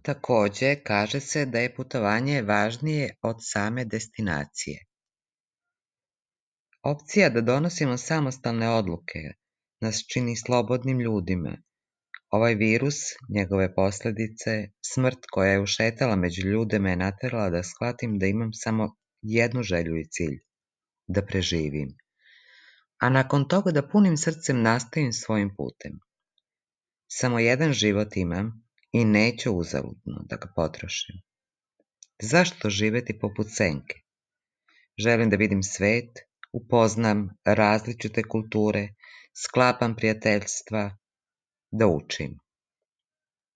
Takođe, kaže se da je putovanje važnije od same destinacije. Opcija da donosimo samostalne odluke nas čini slobodnim ljudima. Ovaj virus, njegove posledice, smrt koja je ušetala među ljude me je naterala da shvatim da imam samo jednu želju i cilj, da preživim. A nakon toga da punim srcem nastavim svojim putem. Samo jedan život imam i neću uzaludno da ga potrošim. Zašto živeti poput senke? Želim da vidim svet, upoznam različite kulture, sklapam prijateljstva, da učim.